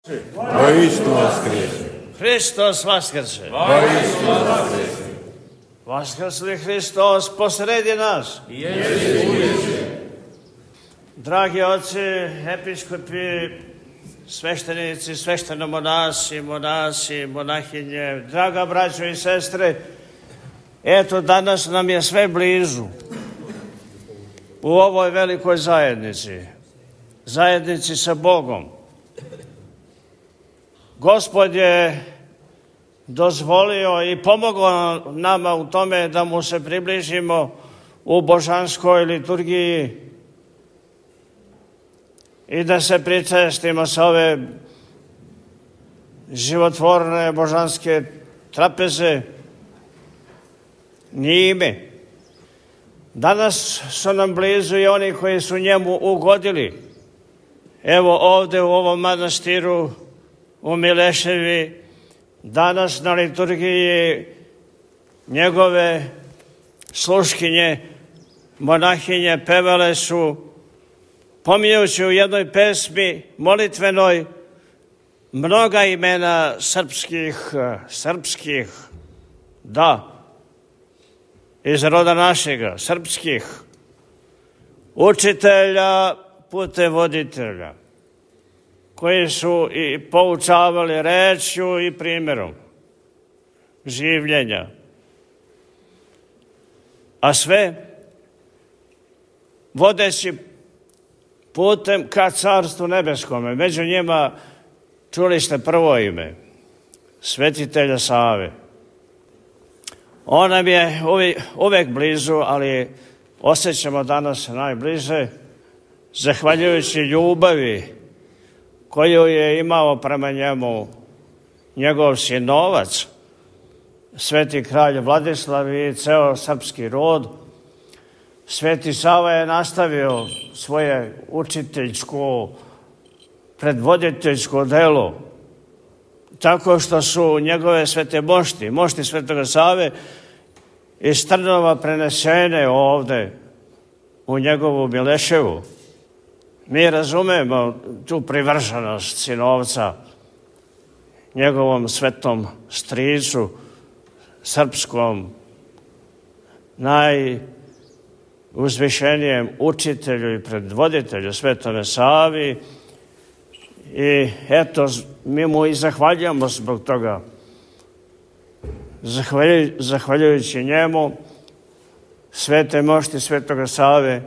Воистину воскресе! Hristos vaskrse! Воистину воскресе! Vaskrsli Hristos posredi nas! Dragi oci, episkopi, sveštenici, sveštenomonasi, monasi, monahinje, draga braćo i sestre, eto danas nam je sve blizu u ovoj velikoj zajednici sa Bogom. Gospod je dozvolio i pomogao nama u tome da mu se približimo u božanskoj liturgiji i da se pričestimo sa ove životvorne božanske trapeze njime. Danas su nam blizu i oni koji su njemu ugodili. Evo ovde u ovom manastiru u Mileševi danas na liturgiji njegove sluškinje, monahinje pevale su, pominjući u jednoj pesmi molitvenoj mnoga imena srpskih, da, iz roda našega, srpskih, učitelja, putevoditelja, koji su i poučavali rečju i primjerom življenja. A sve vodeći putem ka Carstvu nebeskome. Među njima čuli ste prvo ime, svetitelja Save. On nam je uvek blizu, ali osjećamo danas najbliže, zahvaljujući ljubavi koju je imao prema njemu njegov sinovac, sveti kralj Vladislav i ceo srpski rod. Sveti Sava je nastavio svoje učiteljsko, predvoditeljsko delo, tako što su njegove svete mošti svetoga Save iz Trnova prenesene ovde u njegovu Mileševu. Mi razumemo tu privrženost sinovca njegovom svetom stricu, srpskom, najuzvišenijem učitelju i predvoditelju Svetome Savi. I eto, mi mu i zahvaljujemo zbog toga. Zahvaljujući njemu, svete mošti Svetoga Save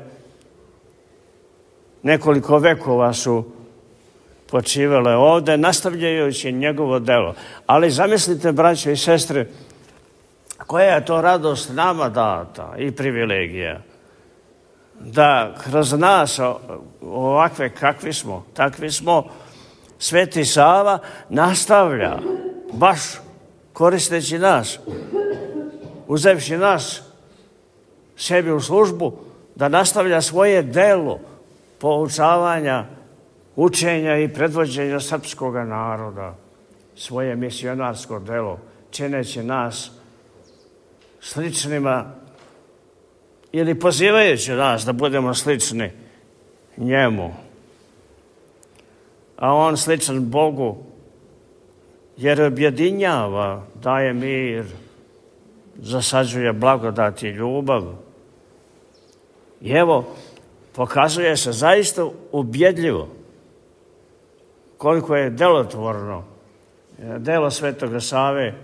nekoliko vekova su počivale ovde, nastavljajući njegovo delo. Ali zamislite, braćo i sestre, koja je to radost nama data i privilegija, da kroz nas, ovakve kakvi smo, takvi smo, Sveti Sava nastavlja, baš koristeći nas, uzevši nas sebi u službu, da nastavlja svoje delo poučavanja, učenja i predvođenja srpskog naroda, svoje misionarsko delo, čineći nas sličnima ili pozivajući nas da budemo slični njemu. A on sličan Bogu, jer objedinjava, daje mir, zasađuje blagodat i ljubav. I evo, pokazuje se zaista ubjedljivo koliko je delotvorno delo Svetoga Save,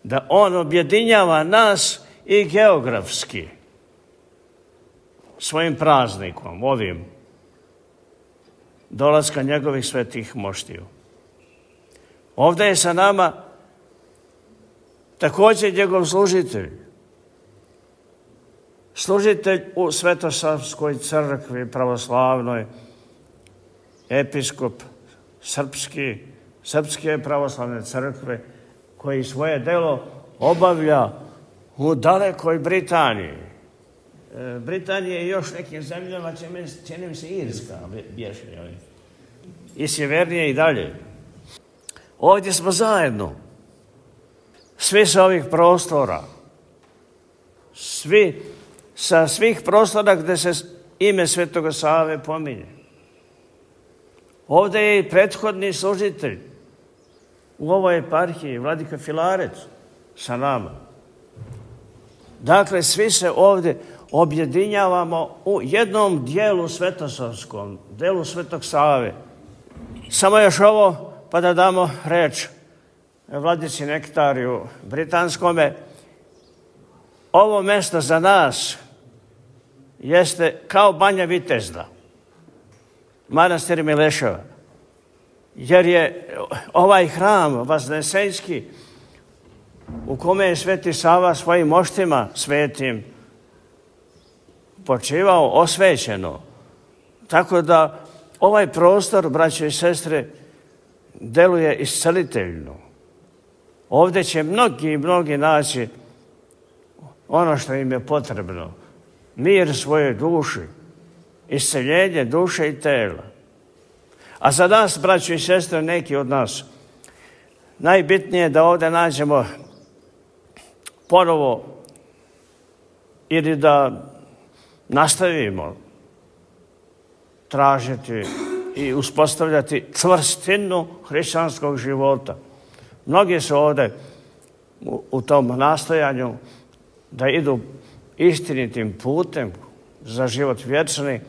da on objedinjava nas i geografski svojim praznikom, ovim dolaska njegovih svetih moštiju. Ovde je sa nama također njegov služitelj u Svetosavskoj crkvi pravoslavnoj, episkop srpske pravoslavne crkve, koji svoje delo obavlja u dalekoj Britaniji. Britanija i još nekim zemljama, čini mi se Irska, i sjevernije i dalje. Ovdje smo zajedno, svi sa ovih prostora, svi sa svih prostora gde se ime Svetoga Save pominje. Ovdje je i prethodni služitelj u ovoj eparhiji, vladika Filarec, sa nama. Dakle, svi se ovdje objedinjavamo u jednom dijelu svetosavskom, dijelu Svetog Save. Samo još ovo, pa da damo reč vladici Nektariju Britanskome. Ovo mjesto za nas jeste kao Banja Vitezda, manastir Mileševa, jer je ovaj hram Vaznesenjski u kome je Sveti Sava svojim moštima svetim počivao osvećeno. Tako da ovaj prostor, braćo i sestre, deluje isceliteljno. Ovdje će mnogi naći ono što im je potrebno. Mir svojoj duši, isceljenje duše i tela. A za nas, braćo i sestre, neki od nas, najbitnije je da ovdje nađemo ponovo ili da nastavimo tražiti i uspostavljati čvrstinu hrišćanskog života. Mnogi su ovdje u tom nastojanju da idu istinitim putem za život vječni,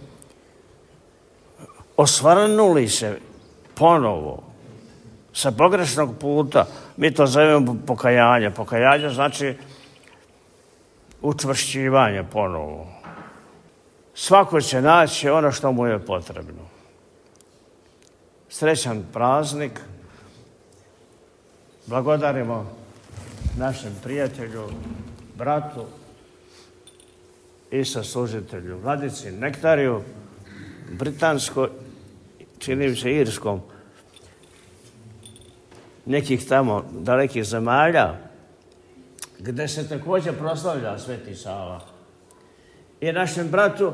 osvrnuli se ponovo sa pogrešnog puta. Mi to zovemo pokajanje. Pokajanje znači učvršćivanje ponovo. Svako će naći ono što mu je potrebno. Srećan praznik. Blagodarimo našem prijatelju, bratu i saslužitelju, vladici Nektariju, britansko, čini mi se irskom, nekih tamo dalekih zemalja, gdje se također proslavlja Sveti Sava. I našem bratu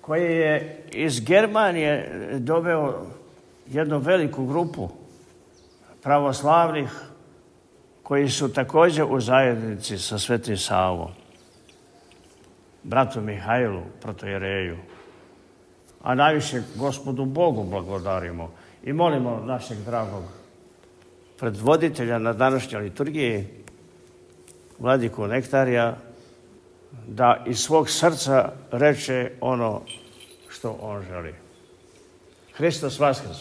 koji je iz Germanije doveo jednu veliku grupu pravoslavnih koji su također u zajednici sa Svetim Savom. Bratu Mihajlu, protojereju. A najviše Gospodu Bogu blagodarimo i molimo našeg dragog predvoditelja na današnjoj liturgiji, vladiku Nektarija, da iz svog srca reče ono što on želi. Hristos Vaskrs!